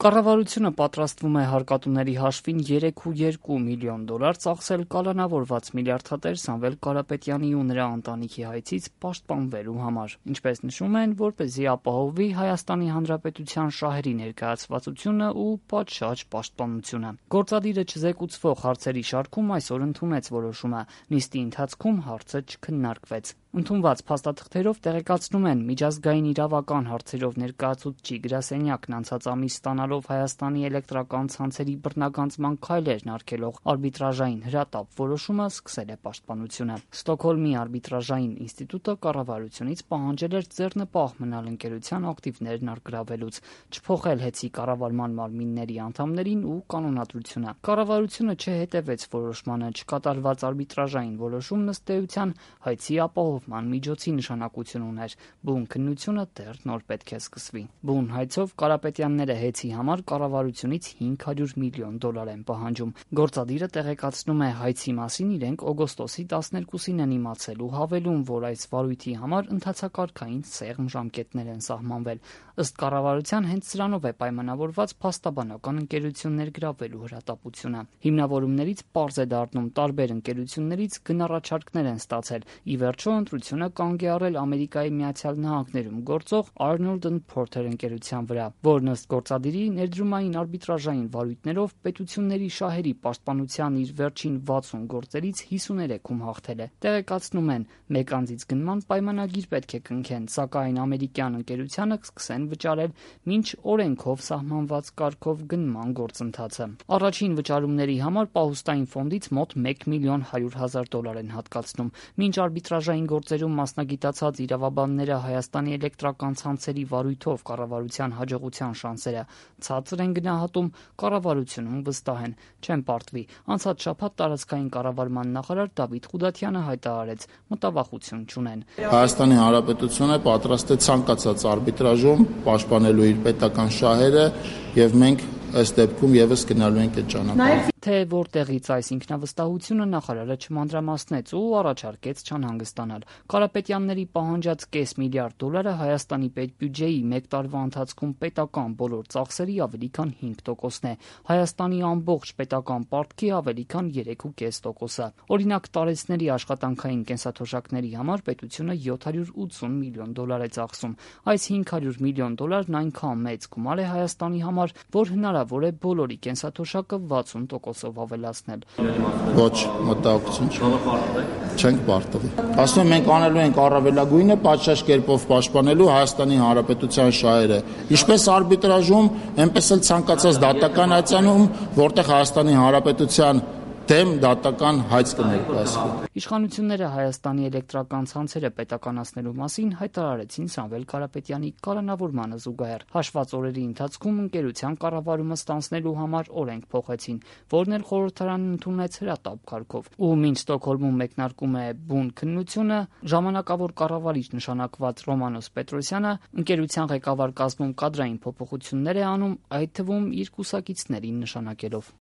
Կառավարությունը պատրաստվում է հարկատուների հաշվին 3,2 միլիոն դոլար ծախսել կալանավորված միլիարդատեր Սամվել Կարապետյանի ու նրա ընտանիքի հայցից պաշտպանվելու համար, ինչպես նշում են, որպեսզի ապահովվի Հայաստանի Հանրապետության շահերի ներկայացվածությունը ու պատշաճ պաշտպանությունը։ Գործադիրը չզեկուցվող հարցերի շարքում այսօր ընդունեց որոշումը, նիստի ընթացքում հարցը չքննարկվեց։ Ընդունված փաստաթղթերով տեղեկացնում են միջազգային իրավական հարցերով ներկայացուցիչ գրասենյակն անցած ամիս ստանալով Հայաստանի էլեկտրական ցանցերի բռնագանձման քայլերն արգելող արբիտրաժային հրատապ որոշումը սկսել է պաշտպանությունը։ Ստոկհոլմի արբիտրաժային ինստիտուտը կառավարությունից պահանջել էր ձեռնպահ մնալ ընկերության ակտիվներն առգրավելուց, չփոխել ՀԵՑ-ի կառավարման մարմինների անդամներին ու կանոնադրությունը։ Կառավարությունը չհետևեց որոշմանը, չկատարված արբիտրաժային որոշումն ըստ էության հայցի ապահովման միջոցի նշանակություն ուներ։ Բուն քննությունը դեռ նոր պետք է սկսվի։ Բուն հայցով Կարապետյանները ՀԵՑ-ի համար կառավարությունից 500 միլիոն դոլար են պահանջում։ Գործադիրը տեղեկացնում է հայցի մասին իրենք օգոստոսի 12-ին են իմացել ու հավելում, որ այս վարույթի համար ընթացակարգային սեղմ ժամկետներ են սահմանվել։ Ըստ կառավարության հենց սրանով է պայմանավորված փաստաբանական ընկերություններ գրավելու հրատապությունը։ Հիմնավորումներից պարզ է դառնում տարբեր ընկերություններից գնառաջարկներ են ստացել։ Ի վերջո ընտրությունը կանգ է առել Ամերիկայի Միացյալ Նահանգներում գործող Arnold & Porter ընկերության վրա, որն ըստ գործադիրի ներդրումային արբիտրաժային վարույթներով պետությունների շահերի պաշտպանության իր վերջին 60 գործերից 53-ում հաղթել է։ Տեղեկացնում են, մեկ անձից գնման պայմանագիր պետք է կնքեն, սակայն ամերիկյան ընկերությանը կսկսեն վճարել մինչ օրենքով սահմանված կարգով գնման գործընթացը։ Առաջին վճարումների համար պահուստային ֆոնդից մոտ 1 միլիոն 100 հազար դոլար են հատկացնում։ Մինչ արբիտրաժային գործերում մասնագիտացած իրավաբանները Հայաստանի էլեկտրական ցանցերի վարույթով կառավարության հաջողության շանսերը ցածր են գնահատում, կառավարությունում վստահ են, չեն պարտվի։ Անցած շաբաթ տարածքային կառավարման նախարար Դավիթ Ղուդաթյանը հայտարարեց՝ մտավախություն չունեն։ Հայաստանի Հանրապետությունը պատրաստ է ցանկացած արբիտրաժում պաշտպանելու իր պետական շահերը եւ մենք ըստ դեպքում եւս գնալու ենք այդ ճանապարհով։ Թե որտեղից այս ինքնավստահությունը նախարարը չմանրամասնեց ու առաջարկեց չանհանգստանալ։ Կարապետյանների պահանջած կես միլիարդ դոլարը Հայաստանի պետբյուջեի մեկ տարվա ընթացքում պետական բոլոր ծախսերի ավելի քան 5%-ն է, Հայաստանի ամբողջ պետական պարտքի ավելի քան 3.5%-ը։ Օրինակ տարեցների աշխատանքային կենսաթոշակների համար պետությունը 780 միլիոն դոլար է ծախսում։ Այս 500 միլիոն դոլարն այնքան մեծ գումար է Հայաստանի համար, որ հնարավոր է բոլորի կենսաթոշակը 60%-ով ավելացնել։ Ոչ, մտահոգություն չենք պարտվի։ Ասում եմ, մենք անելու ենք առավելագույնը պատշաճ կերպով պաշտպանելու Հայաստանի Հանրապետության շահերը։ Ինչպես արբիտրաժում, այնպես էլ ցանկացած դատական հայցանում, որտեղ Հայաստանի Հանրապետության դեմ դատական հայց կներկայացվի։ Իշխանությունները Հայաստանի էլեկտրական ցանցերը պետականացնելու մասին հայտարարեցին Սամվել Կարապետյանի կալանավորմանը զուգահեռ։ Հաշված օրերի ընթացքում ընկերության կառավարումը ստանձնելու համար օրենք փոխեցին, որն էլ խորհրդարանն ընդունեց հրատապ կարգով։ Ու մինչ Ստոկհոլմում մեկնարկում է բուն քննությունը, ժամանակավոր կառավարիչ նշանակված Ռոմանոս Պետրոսյանը ընկերության ղեկավար կազմում կադրային փոփոխություններ է անում, այդ թվում իր կուսակիցներին նշանակելով։